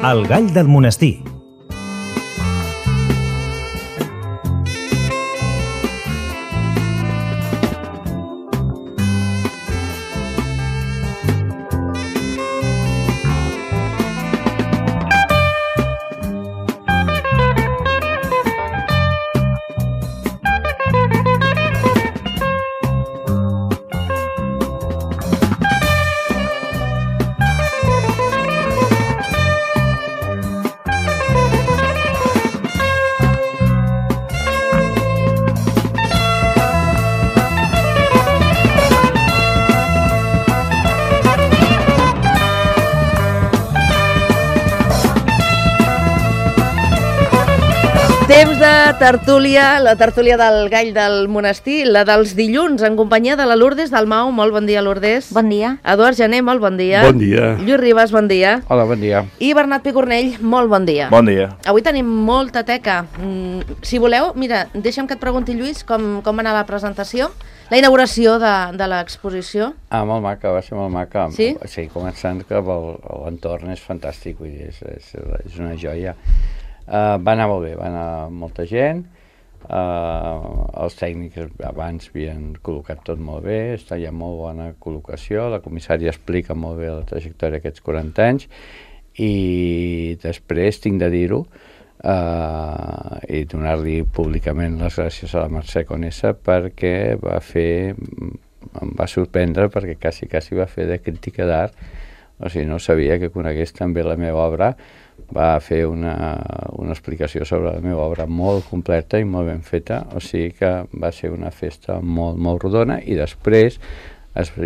El gall del monestir. Temps de tertúlia, la tertúlia del gall del monestir, la dels dilluns, en companyia de la Lourdes Dalmau. Molt bon dia, Lourdes. Bon dia. Eduard Gené, molt bon dia. Bon dia. Lluís Ribas, bon dia. Hola, bon dia. I Bernat Picornell, molt bon dia. Bon dia. Avui tenim molta teca. Si voleu, mira, deixa'm que et pregunti, Lluís, com va anar la presentació, la inauguració de l'exposició. Molt maca, va ser molt maca. Sí? Sí, començant que l'entorn és fantàstic, vull dir, és una joia. Va anar molt bé, va anar molta gent, els tècnics abans havien col·locat tot molt bé, hi ha molt bona col·locació, la comissària explica molt bé la trajectòria d'aquests 40 anys i després tinc de dir-ho i donar-li públicament les gràcies a la Mercè Conesa perquè em va sorprendre perquè quasi va fer de crítica d'art, o sigui, no sabia que conegués també la meva obra. Va fer una explicació sobre la meva obra molt completa i molt ben feta, o sigui que va ser una festa molt, molt rodona i després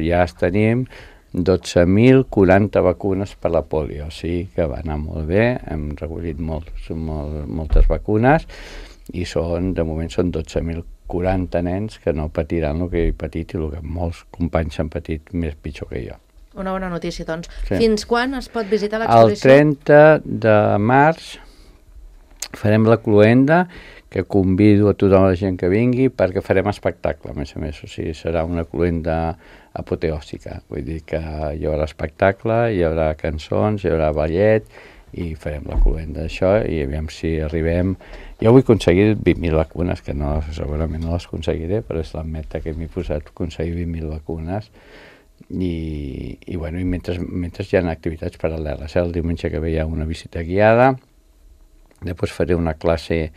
ja tenim 12.040 vacunes per la polio, o sigui que va anar molt bé, hem recollit moltes vacunes i de moment són 12.040 nens que no patiran el que he patit i el que molts companys han patit més pitjor que jo. Una bona notícia, doncs. Sí. Fins quan es pot visitar l'exposició? El 30 de març farem la cloenda, que convido a tota la gent que vingui perquè farem espectacle, a més, o sigui, serà una cloenda apoteòsica, vull dir que hi haurà espectacle, hi haurà cançons, hi haurà ballet i farem la cloenda d'això i aviam si arribem. Jo vull aconseguir 20.000 vacunes, que no, segurament no les aconseguiré, però és la meta que m'he posat, aconseguir 20.000 vacunes. I mentre hi ha activitats paral·leles, el diumenge que ve hi ha una visita guiada, després faré una classe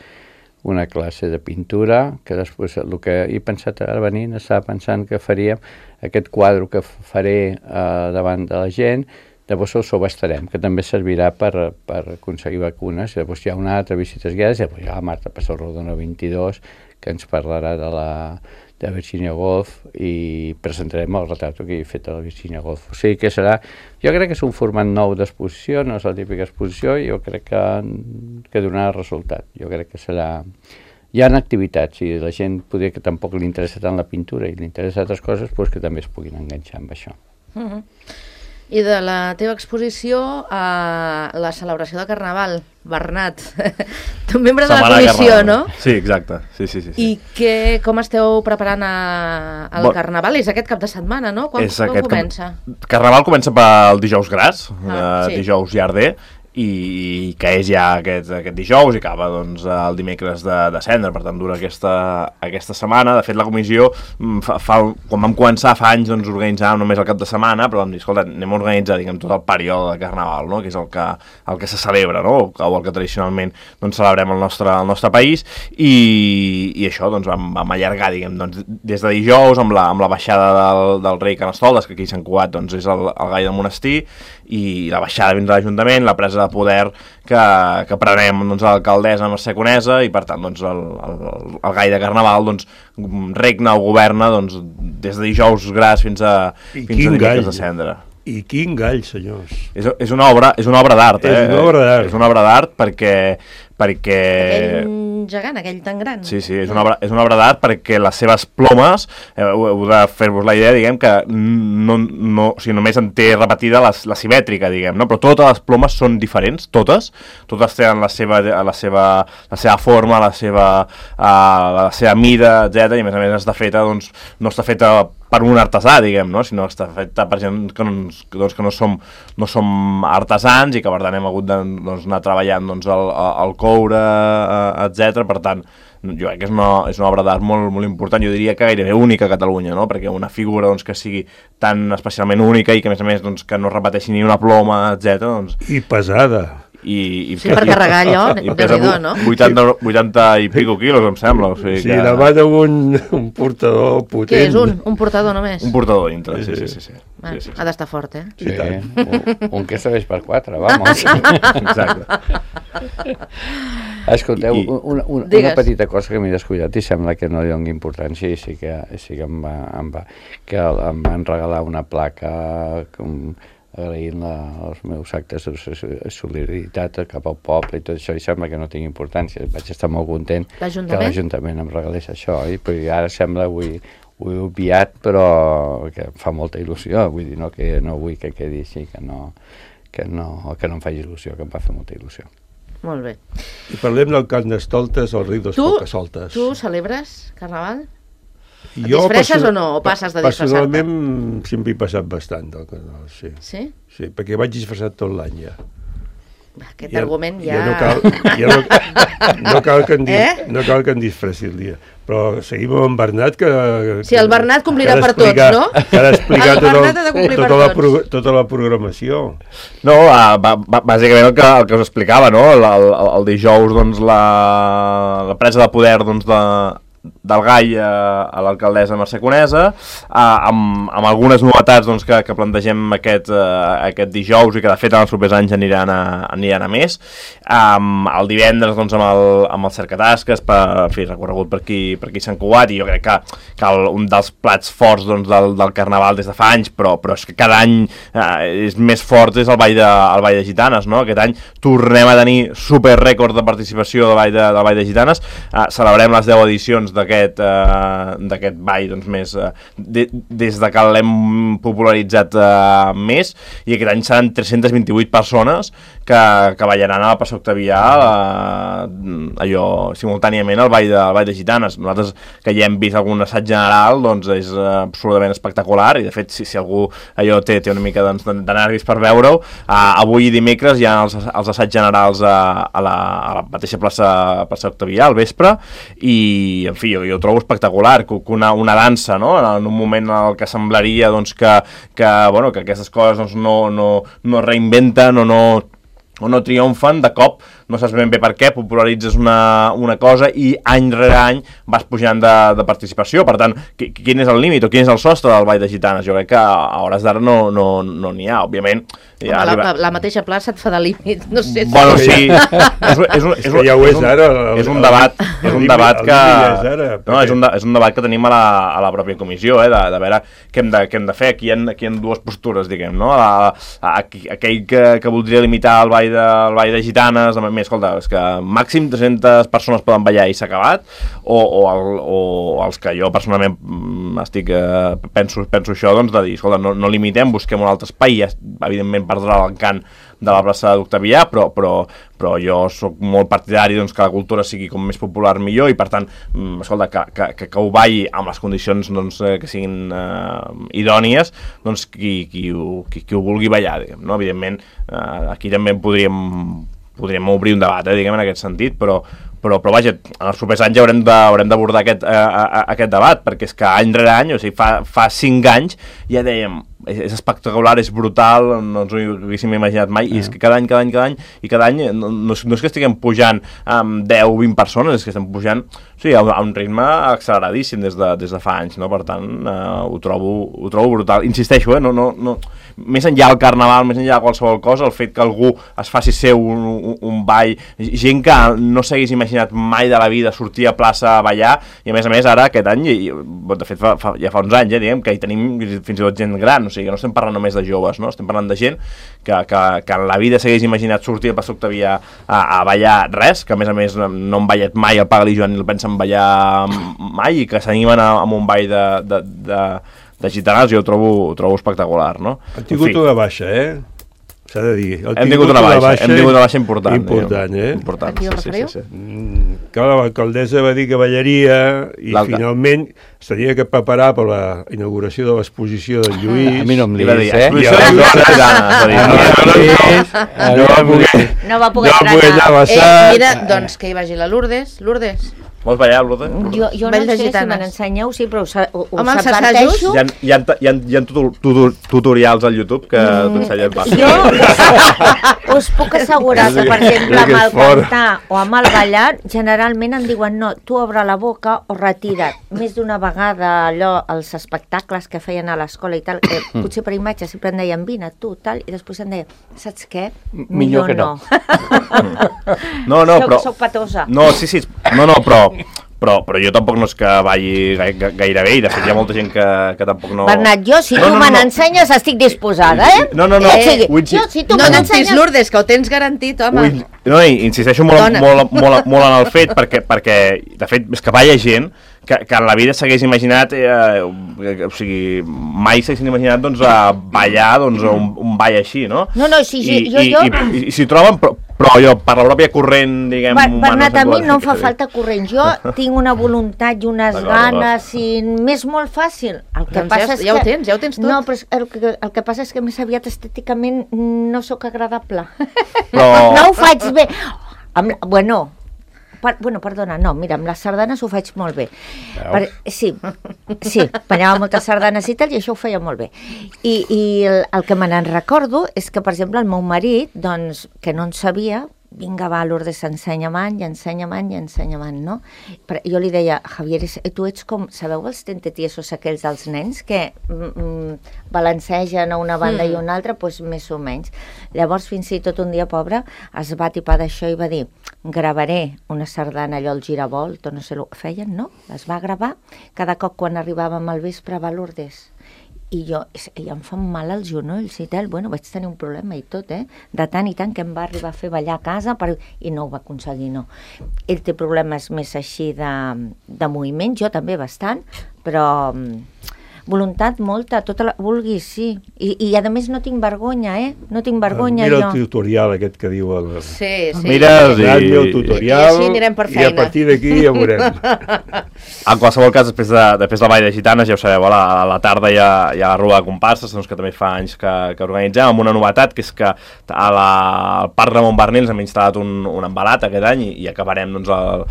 de pintura, que després el que he pensat ara venint, estava pensant que faríem aquest quadre que faré davant de la gent, llavors el subhastarem, que també servirà per aconseguir vacunes, i llavors hi ha una altra visites guiades, i llavors hi ha la Marta Passarrodona 22, que ens parlarà de Virginia Woolf i presentarem el retrat que he fet a la Virginia Woolf. O sigui que jo crec que és un format nou d'exposició, no és la típica exposició, i jo crec que donarà resultat. Jo crec que serà... Hi ha activitats i la gent poder que tampoc li interessa tant la pintura i li interessa altres coses, doncs que també es puguin enganxar amb això. I de la teva exposició a la celebració de Carnaval, Bernat, tu membre de la comissió, no? Sí, exacte. Sí. I com esteu preparant el Carnaval? És aquest cap de setmana, no? Quan comença? Carnaval comença pel dijous gras, sí. dijous llarder, i que és ja aquest dijous i acaba doncs, el dimecres de cendre, per tant dura aquesta setmana. De fet, la comissió, quan vam començar fa anys, doncs, organitzàvem només el cap de setmana, però vam dir, escolta, anem a organitzar tot el període de Carnaval, no? Que és el que se celebra, no? O el que tradicionalment doncs, celebrem al nostre país, i això doncs, vam allargar doncs, des de dijous amb la baixada del rei Carnestoltes, que aquí a Sant Cugat doncs, és el gall del monestir, i la baixada fins a l'Ajuntament, la presa de poder que prenem doncs, a l'alcaldessa Mercè Conesa, i per tant doncs, el gall de Carnaval doncs, regna o governa doncs, des de dijous gras fins a dimecres de cendre. I quin gall, senyors. És una obra d'art, És una obra d'art. És una obra d'art perquè... Aquell gegant, aquell tan gran. Sí, és una obra d'art perquè les seves plomes, heu de fer-vos la idea, diguem, que només en té repetida la simètrica, diguem, no? Però totes les plomes són diferents, totes tenen la seva forma, la seva mida, etc. I a més està feta, doncs, no està feta per un artesà, diguem, no? Sinó que està feta per gent que no som artesans i que per tant hem hagut d'anar treballant el coure, etc. Per tant, jo crec que és una obra d'art molt, molt important, jo diria que gairebé única a Catalunya, no? Perquè una figura que sigui tan especialment única i que a més que no repeteixi ni una ploma, etc. I pesada. Sí, per carregar allò, déu-n'hi-do, no? 80 i pico quilos, em sembla. O sigui sí, demana un portador potent. Què és un portador només? Un portador dintre, sí. Ha d'estar fort, eh? Sí, un que serveix per 4, vamos. Exacte. Escolteu, una petita cosa que m'he descuidat i sembla que no li doni importància, i sí que em van regalar una placa agraint els meus actes de solidaritat cap al poble i tot això, i sembla que no tingui importància. Vaig estar molt content que l'Ajuntament em regalés això, i ara sembla, ho he obviat, però que em fa molta il·lusió, vull dir, no vull que quedi així, que no em faci il·lusió, que em va fer molta il·lusió. Molt bé. I parlem del Carnestoltes o el Riu dels Pocasoltes. Tu celebres Carnaval? Et Jo disfresses o no? O passes de disfressar-te? Personalment sempre he passat bastant del Carnaval, sí. Sí? Sí, perquè vaig disfressat tot l'any ja. Aquest argument ja... No cal que em disfressi el dia. Però seguim amb en Bernat, que... Sí, el Bernat complirà per tots, no? Que ha d'explicar tota la programació. No, bàsicament el que us explicava, no? El dijous, la presa de poder del Gai a l'alcaldessa Mercè Conesa, amb algunes novetats que plantegem aquest dijous i que de fet en els propers anys aniran a més. El divendres amb el cercatasques, recorregut per aquí Sant Cugat, i jo crec que un dels plats forts del Carnaval des de fa anys, però és que cada any és més fort, és el Ball de Gitanes, no? Aquest any tornem a tenir super rècord de participació del Ball de Gitanes. Celebrem les 10 edicions d'aquest ball més des de que l'hem popularitzat més, i aquest any seran 328 persones que ballaran a la plaça Octavià allò simultàniament al ball de Gitanes. Nosaltres que ja hem vist algun assaig general, és absolutament espectacular, i de fet si algú allò té una mica de nervis per veure-ho, avui i dimecres hi ha els assaigs generals a la mateixa plaça Octavià al vespre, i en fi, jo ho trobo espectacular, que una dansa, no? En un moment en el que semblaria que aquestes coses no reinventen o no triomfen, de cop no saps ben bé per què, popularitzes una cosa i any rere any vas pujant de participació. Per tant, quin és el límit o quin és el sostre del Ball de Gitanes? Jo crec que a hores d'ara no n'hi ha, òbviament. La mateixa plaça et fa de límit, no sé. Bueno, sí, és un debat que tenim a la pròpia comissió, de veure què hem de fer. Aquí hi ha dues postures, diguem, no? Aquell que voldria limitar el Ball de Gitanes, escolta, és que màxim 300 persones poden ballar i s'ha acabat, o els que jo personalment penso això, de dir, escolta, no limitem, busquem un altre espai, i evidentment perdrà l'encant de la plaça d'Octavià, però jo sóc molt partidari que la cultura sigui com més popular millor, i per tant, escolta, que ho balli amb les condicions que siguin idònies, qui ho vulgui ballar, diguem, no? Evidentment, aquí també podríem obrir un debat, diguem, en aquest sentit, però vaja, en els propers anys haurem d'abordar aquest debat, perquè és que any rere any, o sigui, fa 5 anys ja dèiem, és espectacular, és brutal, no ens ho haguéssim imaginat mai, i és que cada any no és que estiguem pujant amb 10 o 20 persones, és que estem pujant a un ritme acceleradíssim des de fa anys, no? Per tant, ho trobo brutal. Insisteixo, més enllà del Carnaval, més enllà de qualsevol cosa, el fet que algú es faci seu un ball, gent que no s'hagués imaginat mai de la vida sortir a plaça a ballar, i a més ara aquest any, de fet ja fa uns anys, diguem, que hi tenim fins i tot gent gran, o sigui que no estem parlant només de joves, no? Estem parlant de gent que en la vida s'hagués imaginat sortir a plaça Octavià a ballar res, que a més no han ballat mai el Pagal i Joan ni el pensen ballar mai, i que s'animen amb un ball de gitanes. Jo ho trobo espectacular, no? Han tingut una baixa, s'ha de dir. Hem tingut una baixa important. Important, a qui us referiu? Que l'alcaldessa va dir que ballaria i finalment s'havia que preparar per la inauguració de l'exposició del Lluís. A mi no em llis, No va poder anar. Mira, doncs que hi vagi la Lourdes. Lourdes. Vols ballar, Lourdes? Jo no sé si me n'ensenyeu, sí, però Home, els assajos? Hi ha tutorials al YouTube que t'ensenyen pas. Jo us puc assegurar que, per exemple, amb el cantar o amb el ballar, generalment em diuen no, tu obre la boca o retira't. Més d'una vegada allò, els espectacles que feien a l'escola i tal, que potser per imatge sempre em deien vine tu, tal, i després em deien, saps què? Millor que no. No, però... Soc patosa. No, sí, però jo tampoc no és que balli gaire bé, i de fet hi ha molta gent que tampoc no... Bernat, jo, si tu me n'ensenyes, estic disposada, eh? No. Si tu me n'ensenyes... Lourdes, que ho tens garantit, home. No, insisteixo molt en el fet, perquè de fet és que balla gent que en la vida s'hagués imaginat, o sigui, mai s'haguessin imaginat doncs, ballar doncs, un ball així, no? No, sí, I s'hi troben, però jo, per la pròpia corrent, diguem... Bernat, a mi no em fa falta corrent. Jo tinc una voluntat i unes ganes, i m'és molt fàcil. El que passa és que... Ja ho tens tot. No, però el que passa és que més aviat estèticament no sóc agradable. Però... No ho faig bé. Bueno, perdona, no, mira, amb les sardanes ho faig molt bé. Sí, ballava moltes sardanes i tal, i això ho feia molt bé. I el que me n'en recordo és que, per exemple, el meu marit, doncs, que no en sabia, vinga, va, Lourdes, ensenya-me'n, no? Però jo li deia, Javier, tu ets com, sabeu els tentetiesos aquells dels nens que balancegen a una banda i una altra, doncs més o menys. Llavors, fins i tot un dia, pobre, es va tipar d'això i va dir, gravaré una sardana, allò, el giravolta, no sé, feien, no? Es va gravar, cada cop quan arribàvem al vespre, va, Lourdes. I em fan mal els genolls i tal, bueno, vaig tenir un problema i tot, de tant i tant que em va arribar a fer ballar a casa i no ho va aconseguir, no. Ell té problemes més així de moviment, jo també bastant, però voluntat molta, tota la... vulguis, sí. I a més no tinc vergonya, no tinc vergonya jo. Mira el tutorial aquest que diu el... Sí. Mira el tutorial i a partir d'aquí ja veurem. En qualsevol cas, després del Ball de Gitanes, ja ho sabeu, a la tarda hi ha la Rua de Comparses, doncs, que també fa anys que organitzem, amb una novetat, que és que al Parc Ramon Barnils hem instal·lat un embalat aquest any i acabarem, doncs, el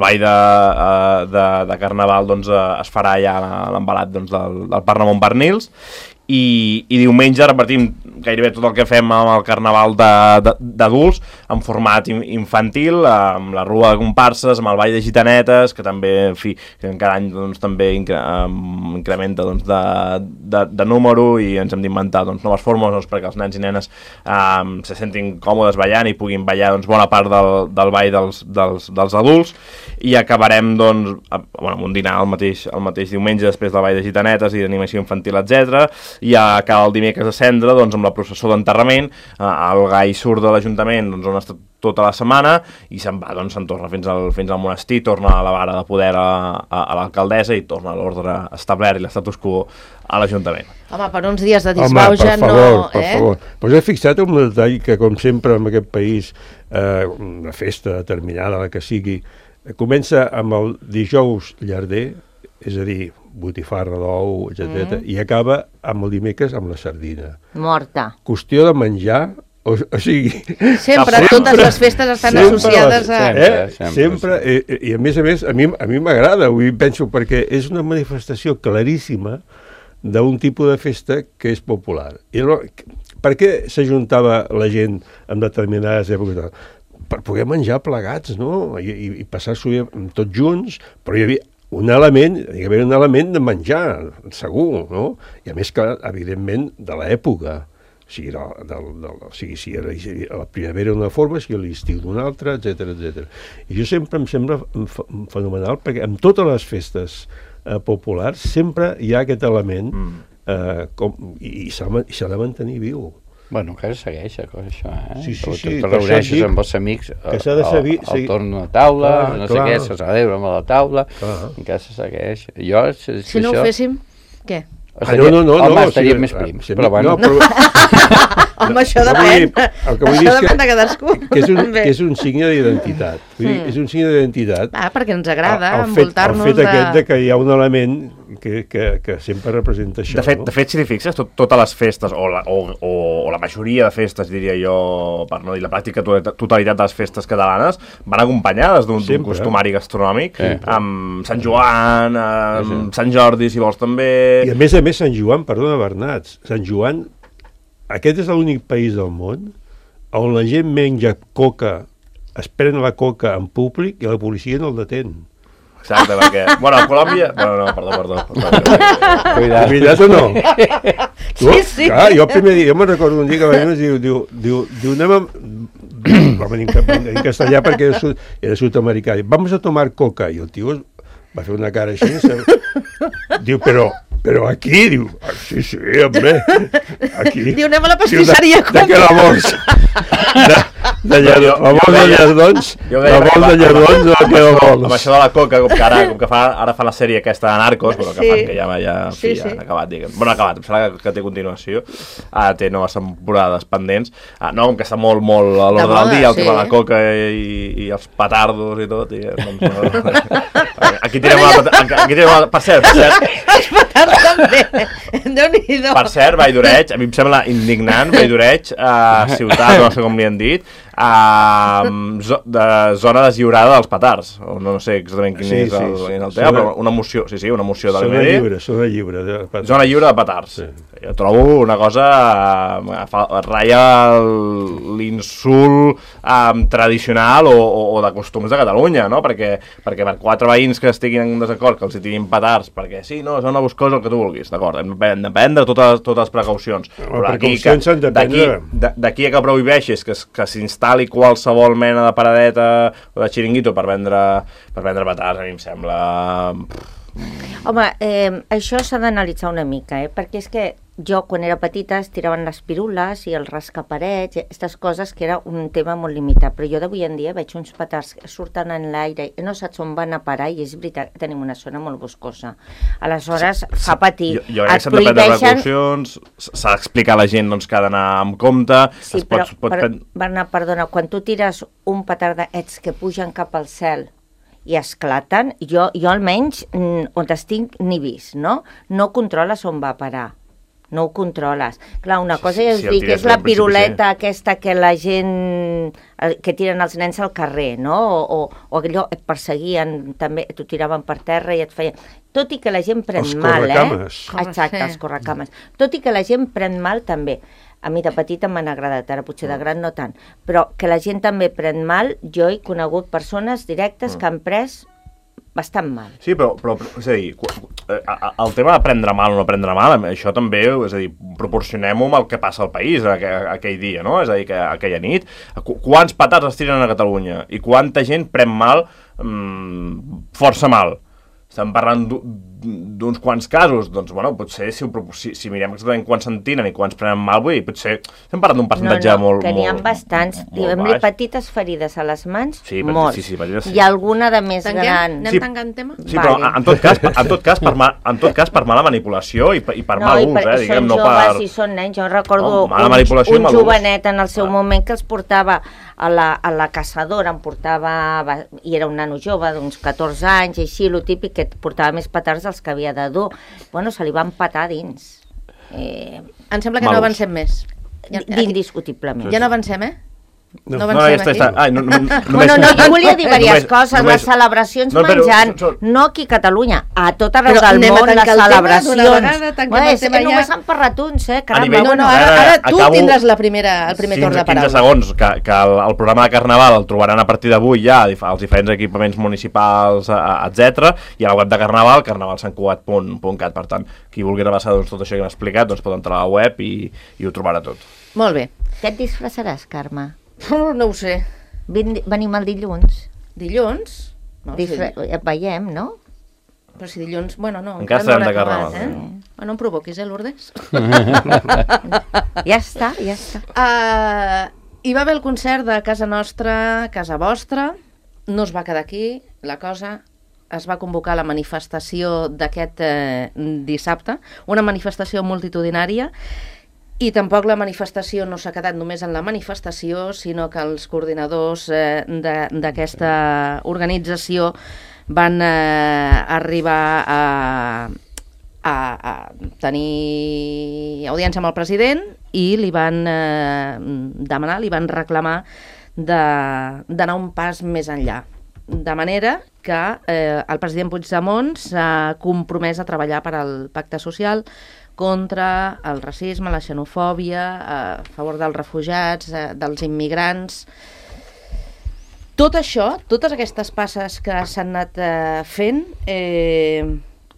Ball de Carnaval doncs, es farà ja l'embalat doncs, del Parc Ramon Barnils i diumenge repartim gairebé tot el que fem amb el Carnaval d'adults en format infantil, amb la Rua de Comparses, amb el Ball de Gitanetes, que també, en fi, que cada any doncs, també incrementa doncs, de número i ens hem d'inventar doncs, noves fórmules doncs, perquè els nens i nenes se sentin còmodes ballant i puguin ballar doncs, bona part del ball dels adults i acabarem doncs, amb un dinar el mateix diumenge després del Ball de Gitanetes i d'animació infantil, etc. I acaba el dimecres de Cendra doncs, amb la processó d'enterrament, el gai surt de l'Ajuntament doncs, on ha estat tota la setmana i se'n va, doncs, se'n torna fins al monestir, torna a la vara de poder a l'alcaldessa i torna a l'ordre establert i l'estatus quo a l'Ajuntament. Home, per uns dies de disbauxa no... Per favor. Però he fixat un detall que, com sempre en aquest país, una festa determinada, la que sigui, comença amb el dijous llarder, és a dir, botifarra d'ou, etc. I acaba amb el dimecres amb la sardina. Morta. Qüestió de menjar, o sigui... Sempre, totes les festes estan associades a... Sempre, i a més, a mi m'agrada, penso, perquè és una manifestació claríssima d'un tipus de festa que és popular. I per què s'ajuntava la gent en determinades èpoques? Per poder menjar plegats, no? I passar-s'ho tots junts, però hi havia un element de menjar, segur, no? I a més que, evidentment, de l'època. O sigui, si a la primavera d'una forma, si a l'estiu d'una altra, etc. I jo sempre em sembla fenomenal, perquè en totes les festes populars sempre hi ha aquest element i s'ha de mantenir viu. Bueno, encara segueix això, Sí. Te reuneixes amb els amics al torn de taula, no sé què, se celebra amb la taula, encara se segueix. Si no ho féssim, què? No, estaríem més prims, però bueno. Home, això No, vull dir, depèn. el que vull dir Això és depèn de cadascú. que és un signe d'identitat. Vull dir, és un signe d'identitat. Perquè ens agrada el envoltar-nos fet aquest de que hi ha un element que sempre representa això. De fet, si t'hi fixes, totes les festes, o la majoria de festes, diria jo, per no dir la pràctica totalitat de les festes catalanes, van acompanyades d'un costumari gastronòmic, amb Sant Joan, amb Sant Jordi, si vols, també... I a més, Sant Joan, perdona, Bernat, Sant Joan, aquest és l'únic país del món on la gent menja coca, es pren la coca en públic i la policia no el detén. Exacte, perquè... Bueno, a Colòmbia... Bueno, no, perdó. Cuidat o no? Sí. Clar, jo el primer dia, jo me'n recordo un dia que va venir, diu, anem a... Va venir en castellà perquè era sud-americà. Vamos a tomar coca. I el tio va fer una cara així. Diu, però aquí, diu, sí, home, aquí. Diu, anem a la pastisseria. De què la vols? La vols de llardons? La vols de llardons o què la vols? Amb això de la coca, com que ara fa la sèrie aquesta de Narcos, però que fan que ja han acabat, diguem. Bueno, acabat, em sembla que té continuació. Té noves temporades pendents. No, com que està molt a l'ordre del dia, el tema de la coca i els petardos i tot. Aquí tirem una... Per cert. Els petards també. Déu-n'hi-do. Per cert, Vall d'Oreig, a mi em sembla indignant, Vall d'Oreig, ciutat, no sé com li han dit, de zona deslliurada dels petards. No sé exactament quin és el tema, però una moció, una moció de l'MD. Zona lliure de petards. Zona lliure de petards. Jo trobo una cosa... ratlla l'insult tradicional o de costums de Catalunya, no? Perquè per 4 veïns que estiguin en desacord, que els hi tirin petards, perquè sí, no, són una boscosa el que tu vulguis, d'acord, hem de prendre totes les precaucions. Però d'aquí a que prohibeixis que s'instal·li qualsevol mena de paradeta o de xiringuito per vendre petards, a mi em sembla... Home, això s'ha d'analitzar una mica, perquè és que jo, quan era petita, es tiraven les pirules i els rascaparets, aquestes coses que era un tema molt limitat, però jo d'avui en dia veig uns petards que surten en l'aire i no saps on van a parar, i és veritat que tenim una zona molt boscosa. Aleshores, fa patir. Jo crec que s'han de prendre precaucions, s'ha d'explicar a la gent que ha d'anar amb compte... Sí, però, Bernat, perdona, quan tu tires un petard d'aquests que pugen cap al cel i esclaten, jo almenys, on estic, n'he vist, no? No controles on va a parar. No ho controles. Clar, una cosa ja us dic, és la piruleta aquesta que la gent... que tiren els nens al carrer, no? O allò et perseguien, també t'ho tiraven per terra i et feien... Tot i que la gent pren mal, Exacte, els correcames. Tot i que la gent pren mal, també. A mi de petita m'han agradat, ara potser de gran no tant. Però que la gent també pren mal, jo he conegut persones directes que han pres bastant mal. Sí, però és a dir, el tema de prendre mal o no prendre mal, això també, és a dir, proporcionem-ho amb el que passa al país aquell dia, no? És a dir, que aquella nit, quants petards es tiren a Catalunya i quanta gent pren mal, força mal. Estem parlant d'uns quants casos, doncs, bueno, potser si mirem exactament quants se'n tiren i quants prenen mal, vull dir, potser estem parlant d'un percentatge molt baix. Que n'hi ha bastants. Diguem-li petites ferides a les mans, molts. Sí. I alguna de més gran. Anem tancant tema? Sí, però en tot cas per mala manipulació i per mal ús, diguem, no per... Són joves i són nens. Jo recordo un jovenet en el seu moment que els portava a la caçadora, i era un nano jove d'uns 14 anys, i així, lo típic, que portava més petards dels que havia de dur. Bueno, se li van petar dins. Em sembla que no avancem més. Indiscutiblement. Ja no avancem, No avancem aquí? Jo volia dir diverses coses, les celebracions menjant, no aquí a Catalunya, a tot arreu del món, les celebracions. És que només han parlat uns, caramba. Ara tu tindràs el primer torn de paraula. 15 segons, que el programa de Carnaval el trobaran a partir d'avui ja als diferents equipaments municipals, etc. I a la web de Carnaval, carnavalsantcugat.cat. Per tant, qui vulgui repassar tot això que hem explicat, pot entrar a la web i ho trobarà tot. Molt bé. Què et disfressaràs, Carme? No ho sé. Venim el dilluns. Dilluns? Et veiem, no? Però si dilluns... Bueno, no. Encara estarem de Carnaval. No em provoquis, Lourdes? Ja està. Hi va haver el concert de Casa Nostra, Casa Vostra. No es va quedar aquí, la cosa. Es va convocar la manifestació d'aquest dissabte. Una manifestació multitudinària I tampoc la manifestació no s'ha quedat només en la manifestació, sinó que els coordinadors d'aquesta organització van arribar a tenir audiència amb el president i li van demanar, li van reclamar d'anar un pas més enllà. De manera que el president Puigdemont s'ha compromès a treballar per al pacte social contra el racisme, la xenofòbia, a favor dels refugiats, dels immigrants. Tot això, totes aquestes passes que s'han anat fent,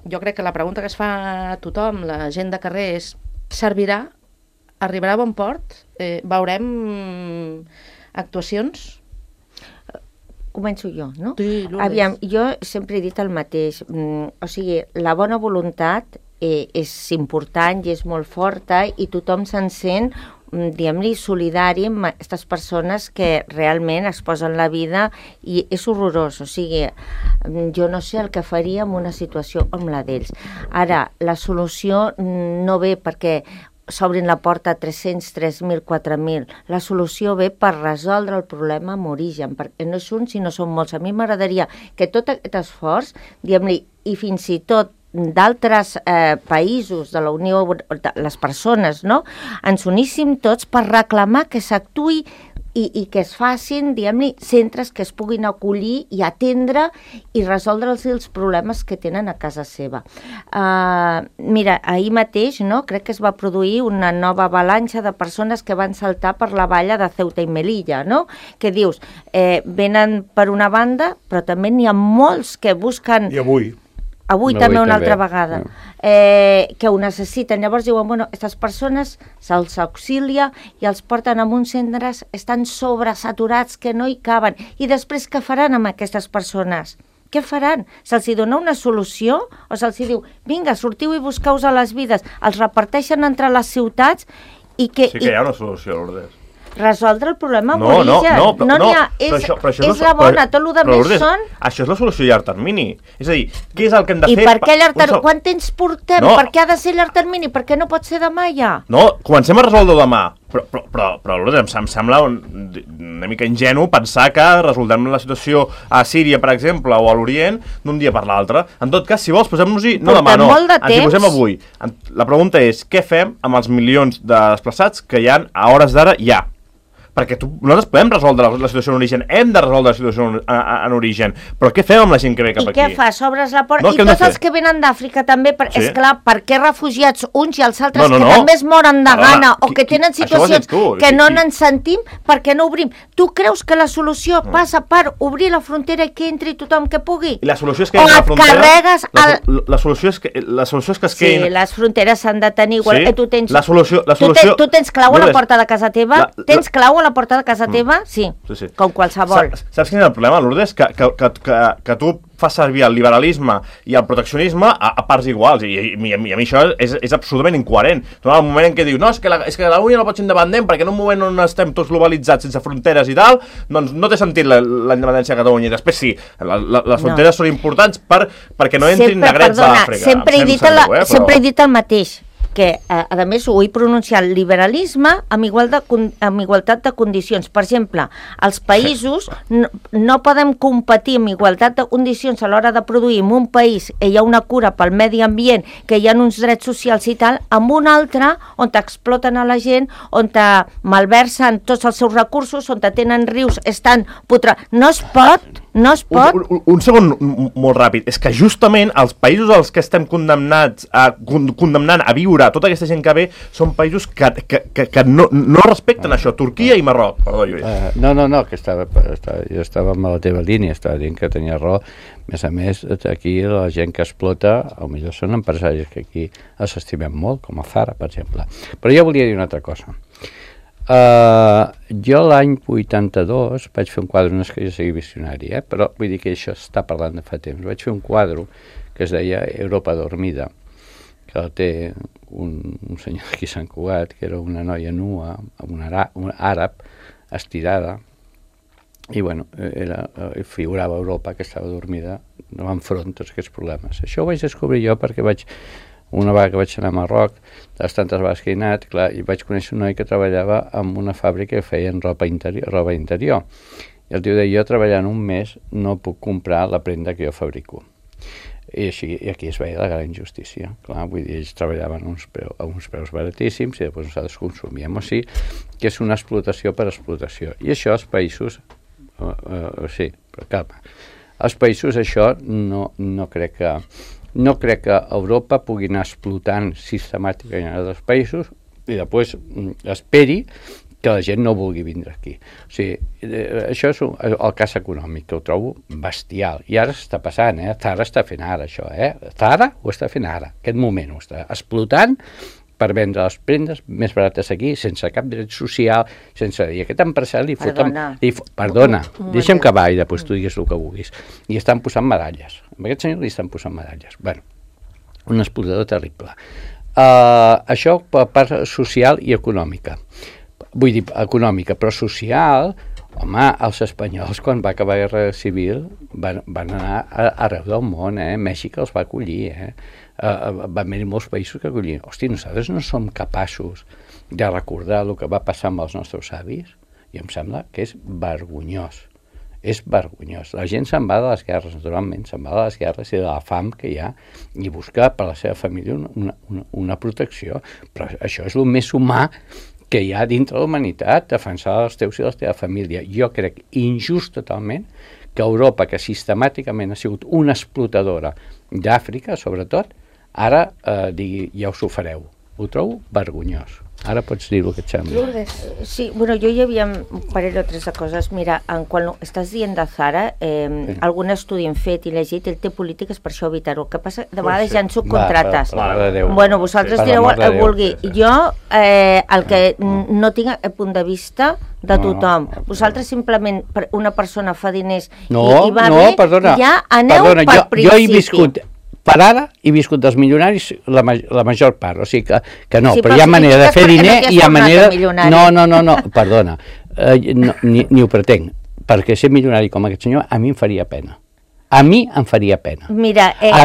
jo crec que la pregunta que es fa a tothom, la gent de carrer, és: servirà? Arribarà a bon port? Veurem actuacions? Començo jo, no? Sí, Lourdes. Aviam, jo sempre he dit el mateix. O sigui, la bona voluntat és important i és molt forta i tothom se'n sent, diguem-li, solidari amb aquestes persones que realment es posen la vida i és horrorós. O sigui, jo no sé el que faria en una situació com la d'ells. Ara, la solució no ve perquè s'obrin la porta a 300, 3.000, 4.000. La solució ve per resoldre el problema amb origen, perquè no és un, sinó són molts. A mi m'agradaria que tot aquest esforç, diguem-li, i fins i tot d'altres països de la Unió, les persones, no?, ens uníssim tots per reclamar que s'actuï i que es facin, diguem-li, centres que es puguin acollir i atendre i resoldre els problemes que tenen a casa seva. Mira, ahir mateix, no?, crec que es va produir una nova avalanxa de persones que van saltar per la valla de Ceuta i Melilla, no?, que dius, venen per una banda, però també n'hi ha molts que busquen... I avui també una altra vegada, que ho necessiten. Llavors diuen, bueno, aquestes persones se'ls auxilia i els porten a uns centres, estan sobresaturats que no hi caben. I després què faran amb aquestes persones? Què faran? Se'ls dona una solució o se'ls diu, vinga, sortiu i busqueu-vos a les vides? Els reparteixen entre les ciutats i que... Sí que hi ha una solució, Lourdes. Resoldre el problema amb origen. No n'hi ha, és la bona, tot el que més són... Això és la solució a llarg termini. És a dir, què és el que hem de fer... I per què llarg termini? Quant temps portem? Per què ha de ser llarg termini? Per què no pot ser demà ja? No, comencem a resoldre demà. Però Lourdes, em sembla una mica ingenu pensar que resoldrem la situació a Síria, per exemple, o a l'Orient, d'un dia per l'altre. En tot cas, si vols, posem-nos-hi... No demà, no. Ens hi posem avui. La pregunta és, què fem amb els milions de desplaçats que hi ha a hores d'ara ja? Perquè nosaltres podem resoldre la situació en origen, hem de resoldre la situació en origen, però què fem amb la gent que ve cap aquí? I què fas? Obres la porta? I tots els que venen d'Àfrica també, esclar, per què refugiats uns i els altres que també es moren de gana o que tenen situacions que no n'en sentim, per què no obrim? Tu creus que la solució passa per obrir la frontera i que entri tothom que pugui? I la solució és que la frontera... La solució és que es quedin... Sí, les fronteres s'han de tenir igual. Tu tens clau a la porta de casa teva? Tens clau a la porta de casa teva? Sí, com qualsevol. Saps quin és el problema, Lourdes? Que tu fas servir el liberalisme i el proteccionisme a parts iguals, i a mi això és absolutament incoherent. En el moment en què diu, no, és que Catalunya no pot ser independent perquè en un moment on estem tots globalitzats sense fronteres i tal, doncs no té sentit la independència de Catalunya. I després sí, les fronteres són importants perquè no entrin negrets a l'Àfrica. Sempre he dit el mateix, que, a més, ho he pronunciat, liberalisme amb igualtat de condicions. Per exemple, els països no podem competir amb igualtat de condicions a l'hora de produir en un país que hi ha una cura pel medi ambient, que hi ha uns drets socials i tal, amb un altre on exploten a la gent, on malversen tots els seus recursos, on tenen rius, estan No es pot. Un segon molt ràpid. És que justament els països als que estem condemnant a viure tota aquesta gent que ve són països que no respecten això. Turquia i Marroc. Perdó, Lluís. No, que jo estava amb la teva línia, estava dient que tenia raó. A més, aquí la gent que explota, potser són empresaris que aquí els estimem molt, com a Zara, per exemple. Però jo volia dir una altra cosa. Jo l'any 82 vaig fer un quadre, no és que jo sigui visionari, però vull dir que això està parlant de fa temps. Vaig fer un quadre que es deia Europa dormida, que el té un senyor aquí a Sant Cugat, que era una noia nua, un àrab, estirada, i bueno, figurava Europa que estava dormida enfront tots aquests problemes. Això ho vaig descobrir jo perquè vaig Una vegada que vaig anar a Marroc, de les tantes vegades que he anat, clar, i vaig conèixer un noi que treballava en una fàbrica que feien roba interior. I el tio deia, jo treballant un mes no puc comprar la prenda que jo fabrico. I aquí es veia la gran injustícia. Clar, vull dir, ells treballaven a uns preus baratíssims i després nosaltres consumíem. O sigui, que és una explotació per explotació. I això els països... sí, però calma. Els països això no crec que Europa pugui anar explotant sistemàticament en els països i després esperi que la gent no vulgui vindre aquí. O sigui, això és el cas econòmic, que ho trobo bestial. I ara s'està passant, Zara està fent ara això, Zara ho està fent ara, aquest moment ho està explotant per vendre les prendes més barates aquí, sense cap dret social, I aquest empresari li foten... Perdona, deixa'm acabar i després tu digues el que vulguis. I estan posant medalles. A aquest senyor li estan posant medalles. Bueno, un explotador terrible. Això per part social i econòmica. Vull dir, econòmica, però social, home, els espanyols, quan va acabar la Guerra Civil, van anar arreu del món, Mèxic els va acollir, van haver molts països que acollien. Hosti, nosaltres no som capaços de recordar el que va passar amb els nostres avis, i em sembla que és vergonyós. És vergonyós. La gent se'n va de les guerres, naturalment, se'n va de les guerres i de la fam que hi ha, i busca per a la seva família una protecció. Però això és el més humà que hi ha dintre la humanitat, defensar els teus i la teva família. Jo crec injust totalment que Europa, que sistemàticament ha sigut una explotadora d'Àfrica, sobretot, ara digui, ja us ho fareu. Ho trobo vergonyós. Ara pots dir el que et sembla. Lourdes, sí, bueno, jo hi havia un parell o tres de coses. Mira, quan estàs dient de Zara, algun estudi hem fet i llegit, ell té polítiques per això evitar-ho. El que passa, de vegades ja en subcontrates. Bueno, vosaltres direu el que vulgui. Jo, el que no tinc a punt de vista de tothom. Vosaltres simplement, una persona fa diners i va bé, ja aneu per principi. Jo he viscut... Per ara he viscut dels milionaris la major part, o sigui que no, però hi ha manera de fer diner i hi ha manera... No, perdona, ni ho pretenc, perquè ser milionari com aquest senyor a mi em faria pena. A mi em faria pena. Mira, és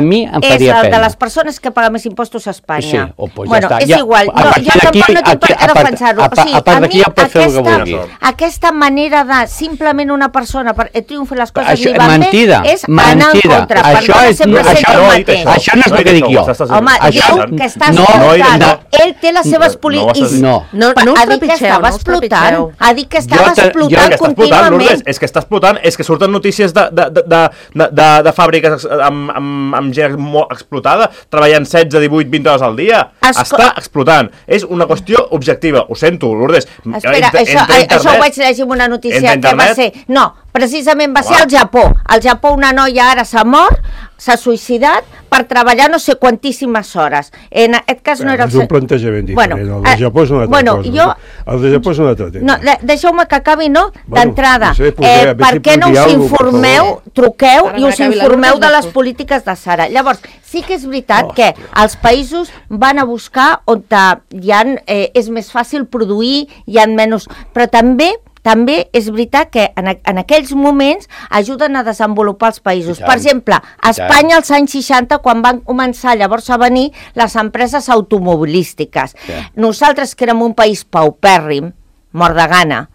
el de les persones que paguen més impostos a Espanya. Sí, pues bueno, és igual. Jo tampoc no tinc per què defensar-ho. O sigui, a mi aquesta manera de simplement una persona triomfa les coses i van bé és anar en contra. Això no és el que dic jo. Home, diu que està explotant. Ell té les seves polítiques. No ha dit que estava explotant. Ha dit que estava explotant contínuament. És que està explotant, és que surten notícies de fàbriques amb gent molt explotada, treballant 16, 18, 20 hores al dia. Està explotant. És una qüestió objectiva. Ho sento, Lourdes. Espera, això ho vaig llegir en una notícia que va ser... No, precisament va ser al Japó. Al Japó una noia ara s'ha mort, s'ha suïcidat per treballar no sé quantíssimes hores. En aquest cas no era... És un plantejament diferent. El de Japó és una altra cosa. El de Japó és un altre tema. Deixeu-me que acabi, no? D'entrada, per què no us informeu, truqueu i us informeu de les polítiques de Zara. Llavors, sí que és veritat que els països van a buscar on és més fàcil produir, hi ha menys... Però també és veritat que en aquells moments ajuden a desenvolupar els països. Per exemple, a Espanya als anys 60, quan van començar llavors a venir les empreses automobilístiques. Nosaltres, que érem un país paupèrrim, mort de gana,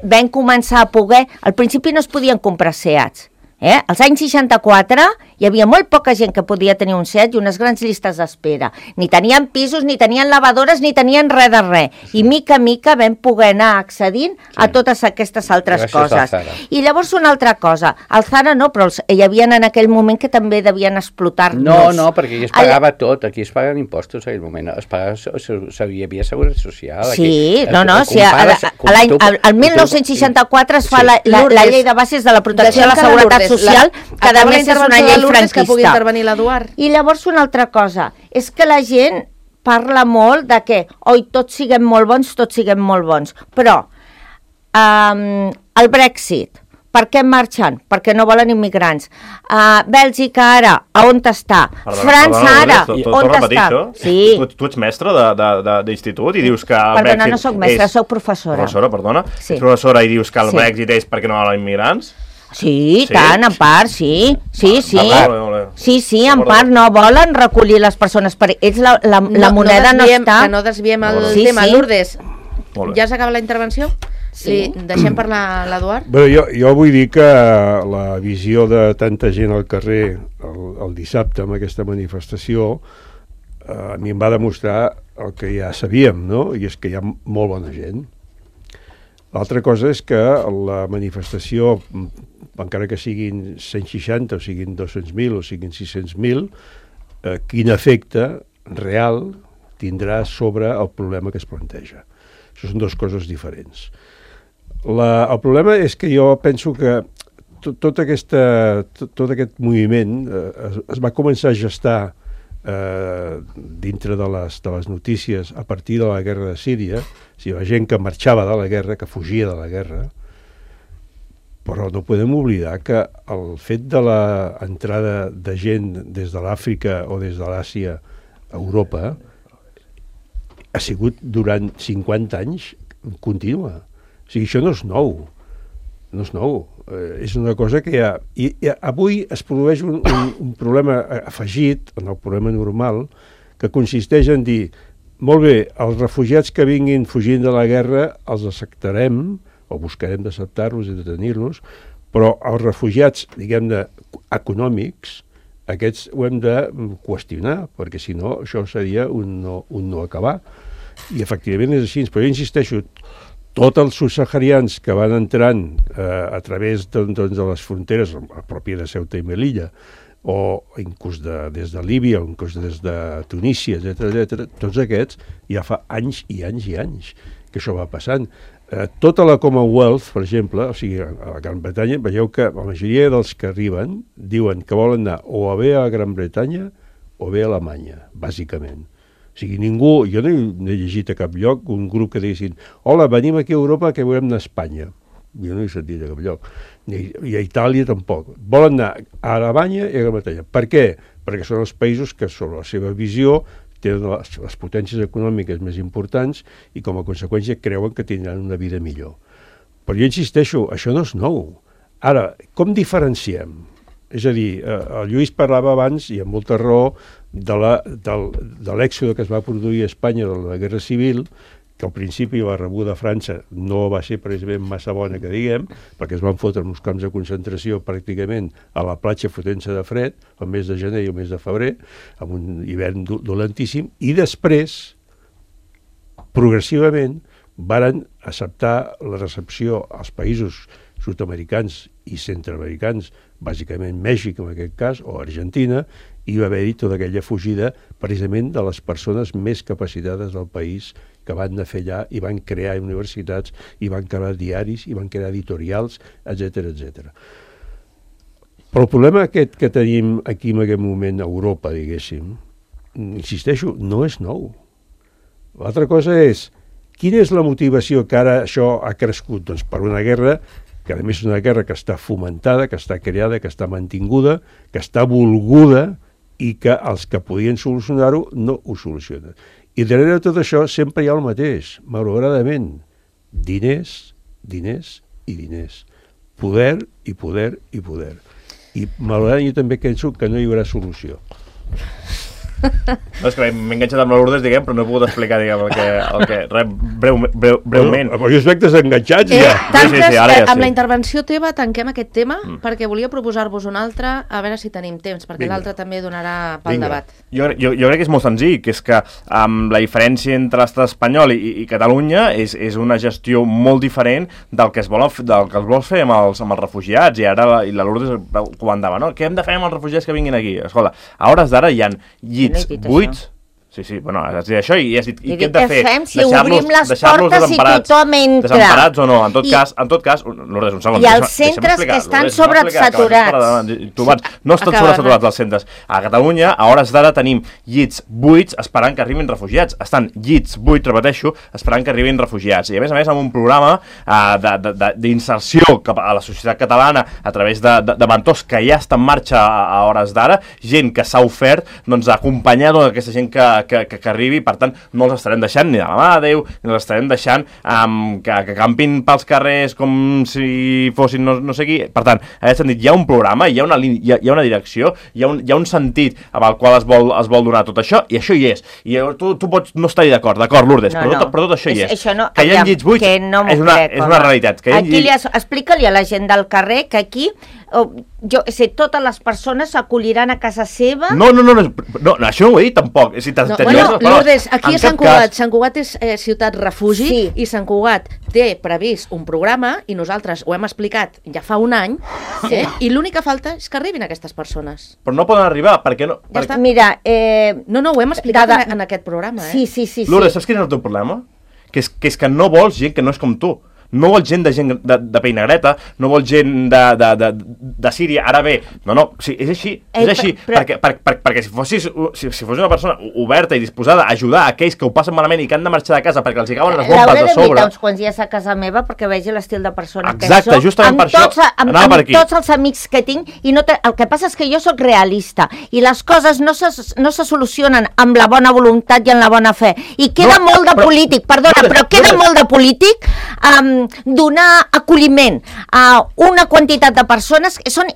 vam començar a poder... Al principi no es podien comprar Seats. Als anys 64 hi havia molt poca gent que podia tenir un Seat i unes grans llistes d'espera. Ni tenien pisos, ni tenien lavadores, ni tenien res de res. I mica a mica vam poder anar accedint a totes aquestes altres coses. I llavors una altra cosa, el Zara no, però hi havia en aquell moment que també devien explotar-nos. No, perquè aquí es pagava tot, aquí es paguen impostos en aquell moment, hi havia seguretat social. Sí, el 1964 es fa la llei de bases de la protecció de la seguretat social, que a més és una llei franquista. Que pugui intervenir l'Eduard. I llavors una altra cosa, és que la gent parla molt de que tots siguem molt bons, però el Brexit, per què marxen? Perquè no volen immigrants. Bèlgica ara, on està? França ara, on està? Tu ets mestre d'institut i dius que el Brexit... Perdona, no soc mestre, soc professora. Ets professora i dius que el Brexit és perquè no volen immigrants? Sí, Sí? tant, en part, sí. Sí, sí. Molt bé. Sí, en part no volen recollir les persones. Ells la moneda no està... Que no desviem el Sí, tema. sí. Lourdes, Molt bé. ja s'acaba la intervenció? Sí. Deixem parlar l'Eduard? Bé, jo vull dir que la visió de tanta gent al carrer el dissabte amb aquesta manifestació a mi em va demostrar el que ja sabíem, no? I és que hi ha molt bona gent. L'altra cosa és que la manifestació, encara que siguin 160 o siguin 200.000 o siguin 600.000, quin efecte real tindrà sobre el problema que es planteja. Això són dues coses diferents. El problema és que jo penso que tot aquest moviment es va començar a gestar dintre de les notícies a partir de la guerra de Síria, o sigui, la gent que marxava de la guerra, que fugia de la guerra, però no podem oblidar que el fet de l'entrada de gent des de l'Àfrica o des de l'Àsia a Europa ha sigut durant 50 anys contínua. O sigui, això no és nou. No és nou. És una cosa que hi ha... I avui es produeix un problema afegit en el problema normal que consisteix en dir molt bé, els refugiats que vinguin fugint de la guerra els acceptarem o buscarem d'acceptar-los i de tenir-los, però els refugiats, diguem-ne, econòmics, aquests ho hem de qüestionar, perquè si no, això seria un no acabar. I efectivament és així, però jo insisteixo, tots els subsaharians que van entrant a través de les fronteres, a pròpia de Ceuta i Melilla, o inclús des de Líbia, o inclús des de Tunísia, etc., tots aquests ja fa anys i anys i anys que això va passant. Tota la Commonwealth, per exemple, o sigui, a la Gran Bretanya, veieu que la majoria dels que arriben diuen que volen anar o bé a la Gran Bretanya o bé a Alemanya, bàsicament. O sigui, ningú, jo no he llegit a cap lloc un grup que diguessin hola, venim aquí a Europa que volem anar a Espanya. Jo no he sentit a cap lloc. I a Itàlia tampoc. Volen anar a Alemanya i a Gran Bretanya. Per què? Perquè són els països que, sobre la seva visió, tenen les potències econòmiques més importants i, com a conseqüència, creuen que tindran una vida millor. Però jo insisteixo, això no és nou. Ara, com diferenciem? És a dir, el Lluís parlava abans, i amb molta raó, de l'èxode que es va produir a Espanya de la Guerra Civil, que al principi la rebuda a França no va ser precisament massa bona, que diguem, perquè es van fotre en uns camps de concentració pràcticament a la platja fotent-se de fred, el mes de gener i el mes de febrer, amb un hivern dolentíssim, i després, progressivament, varen acceptar la recepció als països sud-americans i centroamericans, bàsicament Mèxic en aquest cas, o Argentina, i va haver-hi tota aquella fugida precisament de les persones més capacitades del país que van anar a fer allà i van crear universitats, i van crear diaris, i van crear editorials, etc etc. Però el problema aquest que tenim aquí en aquest moment a Europa, diguéssim, insisteixo, no és nou. L'altra cosa és, quina és la motivació que ara això ha crescut? Doncs per una guerra que a més és una guerra que està fomentada, que està creada, que està mantinguda, que està volguda i que els que podien solucionar-ho no ho solucionen. I darrere de tot això sempre hi ha el mateix, malauradament, diners, diners i diners. Poder i poder i poder. I malauradament jo també penso que no hi haurà solució. No, és que m'he enganxat amb la Lourdes, diguem, però no he pogut explicar, diguem, el que breument. Però jo veig desenganxats ja. Tanques, ara ja sí. Amb la intervenció teva tanquem aquest tema, perquè volia proposar-vos un altre, a veure si tenim temps, perquè l'altre també donarà pel debat. Jo crec que és molt senzill, que és que la diferència entre l'estat espanyol i Catalunya és una gestió molt diferent del que es vol fer amb els refugiats, i ara la Lourdes comandava, no? Què hem de fer amb els refugiats que vinguin aquí? Escolta, a hores d'ara hi ha llits buits. Sí, bueno, has dit això i has dit, i què hem de fer? Fem si obrim les portes i tothom entra. Desemparats o no? En tot cas, Lourdes, un segon. I els centres que estan sobresaturats. No estan sobresaturats els centres. A Catalunya, a hores d'ara, tenim llits buits esperant que arribin refugiats. Estan llits buits, repeteixo, esperant que arribin refugiats. I a més, amb un programa d'inserció a la societat catalana a través de mentors que ja està en marxa a hores d'ara, gent que s'ha ofert a acompanyar tota aquesta gent que que arribi, per tant, no els estarem deixant ni de la mà de Déu, ni els estarem deixant que campin pels carrers com si fossin no sé qui. Per tant, en aquest sentit, hi ha un programa, hi ha una direcció, hi ha un sentit amb el qual es vol donar tot això, i això hi és. I tu pots no estar-hi d'acord, Lourdes, però tot això hi és. Que hi ha llits buits és una realitat. Explica-li a la gent del carrer que aquí totes les persones s'acolliran a casa seva. No, això no ho he dit tampoc. Lourdes, aquí a Sant Cugat és ciutat refugi, i Sant Cugat té previst un programa i nosaltres ho hem explicat ja fa un any, i l'únic que falta és que arribin aquestes persones. Però no poden arribar, per què no? Ja està. Mira, no, ho hem explicat en aquest programa. Sí. Lourdes, saps quin és el teu problema? Que és que no vols gent que no és com tu. No vols gent de pell negreta, no vols gent de Síria. Ara bé, sí, és així, perquè si fos una persona oberta i disposada a ajudar a aquells que ho passen malament i que han de marxar de casa perquè els hi cauen les bombes de sobre... L'hauré d'invitar uns quants dies a casa meva perquè vegi l'estil de persona que soc. Exacte, justament per això anava per aquí. Amb tots els amics que tinc, i el que passa és que jo sóc realista, i les coses no se solucionen amb la bona voluntat i amb la bona fe, i queda molt de polític, però queda molt de polític donar acolliment a una quantitat de persones que són,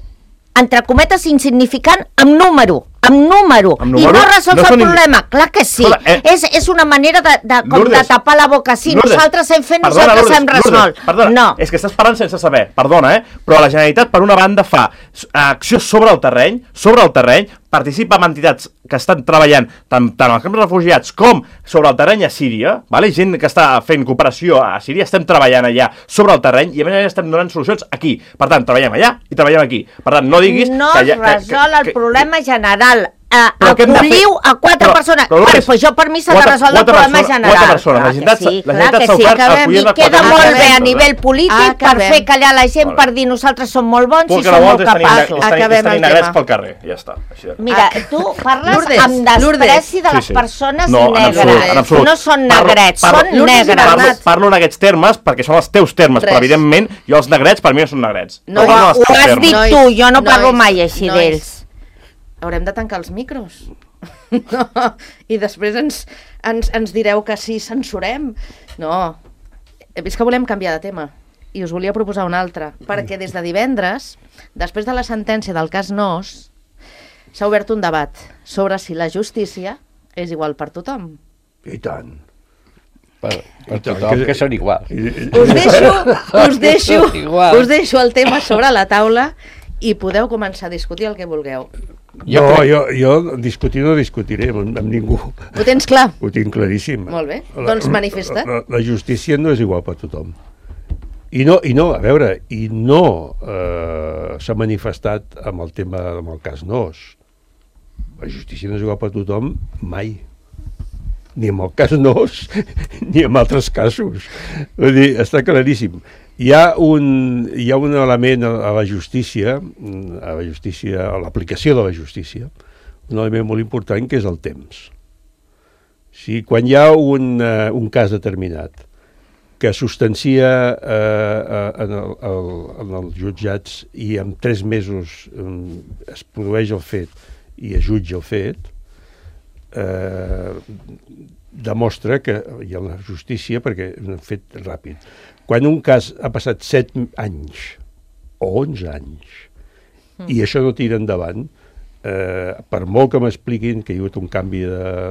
entre cometes, insignificant amb número, i no resols el problema. Clar que sí. És una manera de tapar la boca. Sí, nosaltres hem fet, nosaltres hem resolt. Perdona, és que estàs parlant sense saber, perdona, però la Generalitat, per una banda, fa acció sobre el terreny, participa en entitats que estan treballant tant als camps de refugiats com sobre el terreny a Síria, gent que està fent cooperació a Síria, estem treballant allà sobre el terreny i a més estem donant solucions aquí. Per tant, treballem allà i treballem aquí. Per tant, no diguis... No es resol el problema general. Acolliu a 4 persones. Doncs jo per mi s'ha de resoldre el problema general. 4 persones. La Generalitat s'ha ofert a acollir les 4 persones. I queda molt bé a nivell polític per fer callar la gent, per dir nosaltres som molt bons i som molt capaços. Acabem el tema. Pel carrer, ja està. Mira, tu parles amb despreci de les persones negres. No són negrets, són negres. Parlo en aquests termes perquè són els teus termes, però evidentment jo els negrets per mi no són negrets. Ho has dit tu, jo no parlo mai així d'ells. Haurem de tancar els micros. I després ens direu que sí, censurem. No, és que volem canviar de tema. I us volia proposar un altre. Perquè des de divendres, després de la sentència del cas Nos, s'ha obert un debat sobre si la justícia és igual per tothom. I tant. Per tothom, que són iguals. Us deixo el tema sobre la taula i podeu començar a discutir el que vulgueu. Jo discutir no discutiré amb ningú. Ho tens clar? Ho tinc claríssim. Molt bé, doncs manifesta. La justícia no és igual per tothom. I no, a veure, s'ha manifestat amb el tema, amb el cas Nos. La justícia no és igual per tothom mai. Ni amb el cas Nos, ni amb altres casos. Vull dir, està claríssim. Hi ha un element a la justícia, a l'aplicació de la justícia, un element molt important que és el temps. Sí, quan hi ha un cas determinat que substancia en els jutjats i en 3 mesos es produeix el fet i es jutja el fet, demostra que hi ha una justícia perquè és un fet ràpid. Quan un cas ha passat 7 anys o 11 anys i això no tira endavant, per molt que m'expliquin que hi ha hagut un canvi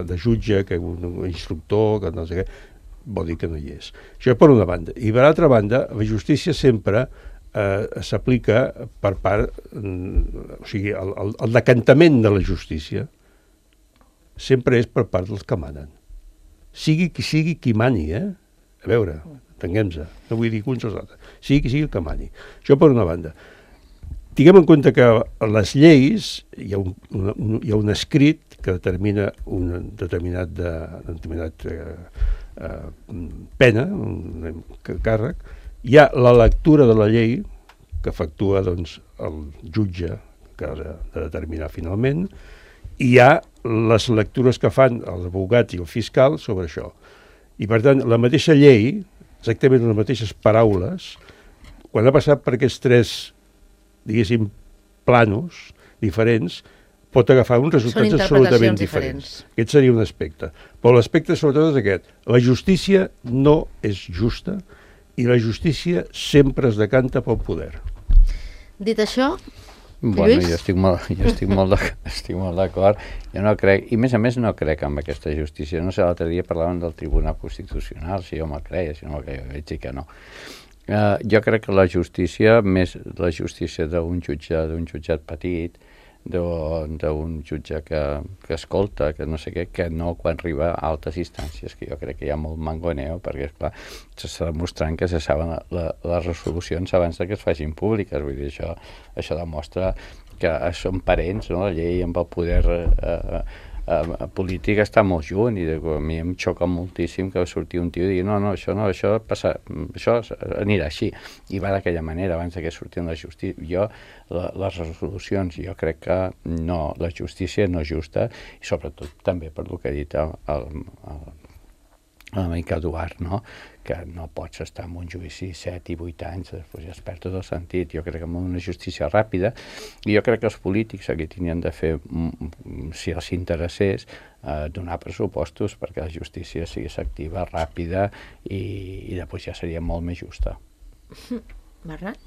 de jutge, que hi ha hagut un instructor, que no sé què, vol dir que no hi és. Això per una banda. I per altra banda, la justícia sempre s'aplica per part... O sigui, el decantament de la justícia sempre és per part dels que manen. Sigui qui mani, A veure, entenguem-se, no vull dir que uns o els altres. Sigui el que mani. Això per una banda. Tinguem en compte que a les lleis hi ha un escrit que determina un determinat pena, un càrrec. Hi ha la lectura de la llei que efectua doncs, el jutge que ha de determinar finalment, i hi ha les lectures que fan els advocats i el fiscal sobre això. I per tant, la mateixa llei, exactament les mateixes paraules, quan ha passat per aquests 3, diguéssim, planos diferents, pot agafar uns resultats absolutament diferents. Aquest seria un aspecte. Però l'aspecte sobretot és aquest. La justícia no és justa i la justícia sempre es decanta pel poder. Dit això, Bueno, Lluís? jo estic molt d'acord. Jo no crec, i a més no crec en aquesta justícia. No sé, l'altre dia parlàvem del Tribunal Constitucional, si jo me'l creia, si no me'l creia, veig que no. Jo crec que la justícia, més la justícia d'un jutjat petit, d'un jutge que escolta, que no sé què, que no quan arriba a altes instàncies, que jo crec que hi ha molt mangoneo, perquè, esclar, s'està demostrant que se saben les resolucions abans que es facin públiques. Vull dir, això demostra que són parents, no? La llei amb el poder polític està molt junt, i a mi em xoca moltíssim que surti un tio i digui això anirà així, i va d'aquella manera abans que surti la justícia. Les resolucions, jo crec que no, la justícia no és justa, i sobretot també per el que ha dit l'amic Eduard, no? Que no pots estar en un judici 7 i 8 anys, després ja es perd tot el sentit. Jo crec que amb una justícia ràpida, i jo crec que els polítics aquí tenien de fer, si els interessés, donar pressupostos perquè la justícia sigui activa, ràpida, i després ja seria molt més justa. Bernat?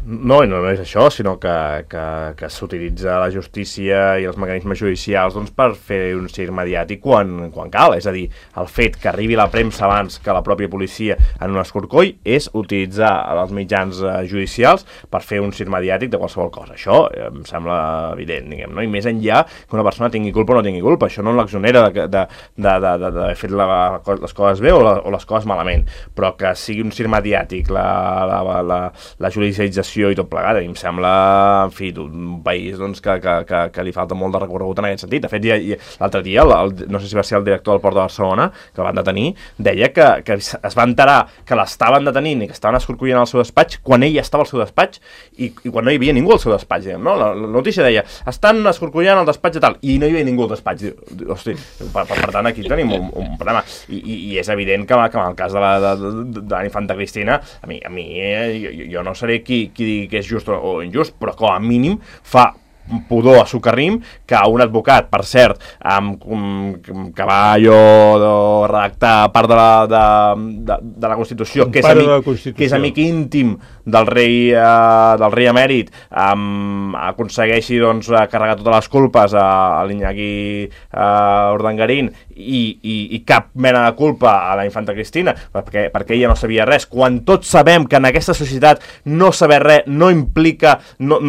No és això, sinó que s'utilitza la justícia i els mecanismes judicials per fer un circ mediàtic quan cal. És a dir, el fet que arribi la premsa abans que la pròpia policia en un escorcoll és utilitzar els mitjans judicials per fer un circ mediàtic de qualsevol cosa. Això em sembla evident, diguem, no? I més enllà que una persona tingui culpa o no tingui culpa. Això no l'exonera d'haver fet les coses bé o les coses malament, però que sigui un circ mediàtic, la judicialització i tot plegat, a mi em sembla, en fi, un país que li falta molt de recorregut en aquest sentit. De fet, l'altre dia, no sé si va ser el director del Port de Barcelona, que el van detenir, deia que es va enterar que l'estaven detenint i que estaven escorcollant al seu despatx quan ell estava al seu despatx i quan no hi havia ningú al seu despatx, diguem, no? La notícia deia, estan escorcollant al despatx de tal, i no hi havia ningú al despatx. Hosti, per tant, aquí tenim un problema. I és evident que en el cas de la infanta Cristina, a mi jo no seré qui digui que és just o injust, però com a mínim fa pudor a socarrim que un advocat, per cert, que va redactar part de la Constitució, que és amic íntim del rei emèrit, aconsegueixi carregar totes les culpes a l'Iñaki Urdangarín i cap mena de culpa a la infanta Cristina, perquè ella no sabia res, quan tots sabem que en aquesta societat no saber res no implica... No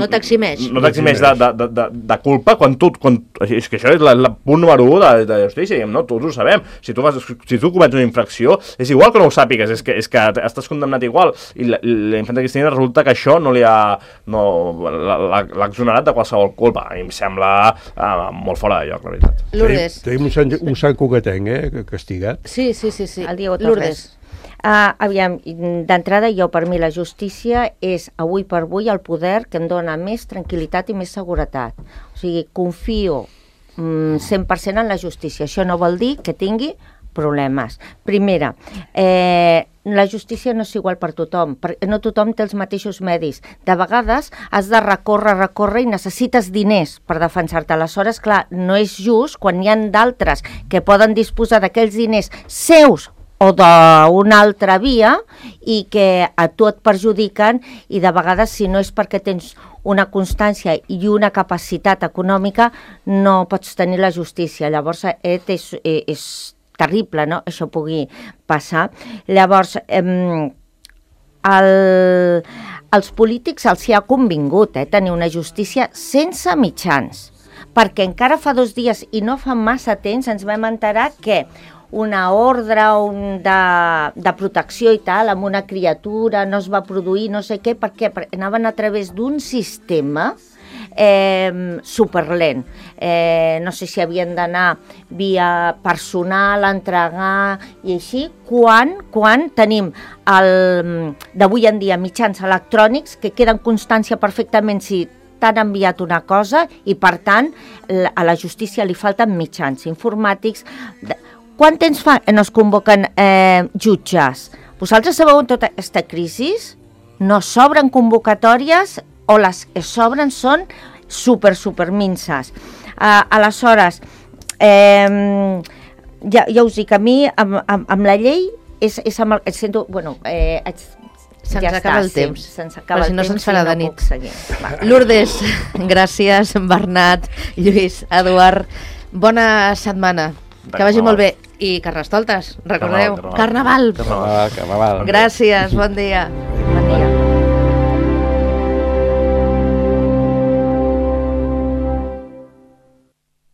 t'eximeix. No t'eximeix de culpa, és que això és el punt número 1 de justícia, no? Tots ho sabem. Si tu comets una infracció, és igual que no ho sàpigues, és que estàs condemnat igual, i la infanta Cristina resulta que això l'ha exonerat de qualsevol culpa. A mi em sembla molt fora de lloc, la veritat. Lourdes. Tenim un sant coquetenc, castigat. Sí. El Diego Torres. Aviam, d'entrada, per mi la justícia és avui per avui el poder que em dona més tranquil·litat i més seguretat. O sigui, confio 100% en la justícia. Això no vol dir que tingui problemes. Primera, la justícia no és igual per tothom, perquè no tothom té els mateixos medis. De vegades has de recórrer i necessites diners per defensar-te. Aleshores, clar, no és just quan hi ha d'altres que poden disposar d'aquells diners seus o d'una altra via i que a tu et perjudiquen, i de vegades, si no és perquè tens una constància i una capacitat econòmica, no pots tenir la justícia. Llavors és terrible, no?, això pugui passar. Llavors, als polítics els hi ha convingut tenir una justícia sense mitjans, perquè encara fa 2 dies i no fa massa temps ens vam enterar que una ordre de protecció i tal amb una criatura no es va produir, no sé què, perquè anaven a través d'un sistema superlent. No sé si havien d'anar via personal, entregar i així, quan tenim d'avui en dia mitjans electrònics que queden constància perfectament si t'han enviat una cosa, i per tant a la justícia li falten mitjans informàtics. Quant temps fa que no es convoquen jutges? Vosaltres sabeu en tota aquesta crisi? No s'obren convocatòries, o les que s'obren són super minces. Aleshores, ja us dic, a mi amb la llei és amb el, sento, bueno, Se'ns ja acaba està, el temps, se'ns acaba però si el no temps se'ns farà i de no nit. puc seguir. Va. Lourdes, gràcies, Bernat, Lluís, Eduard, bona setmana, que vagi molt bé. I Carnestoltes, recordeu, Carnaval. Carnaval. Gràcies, bon dia.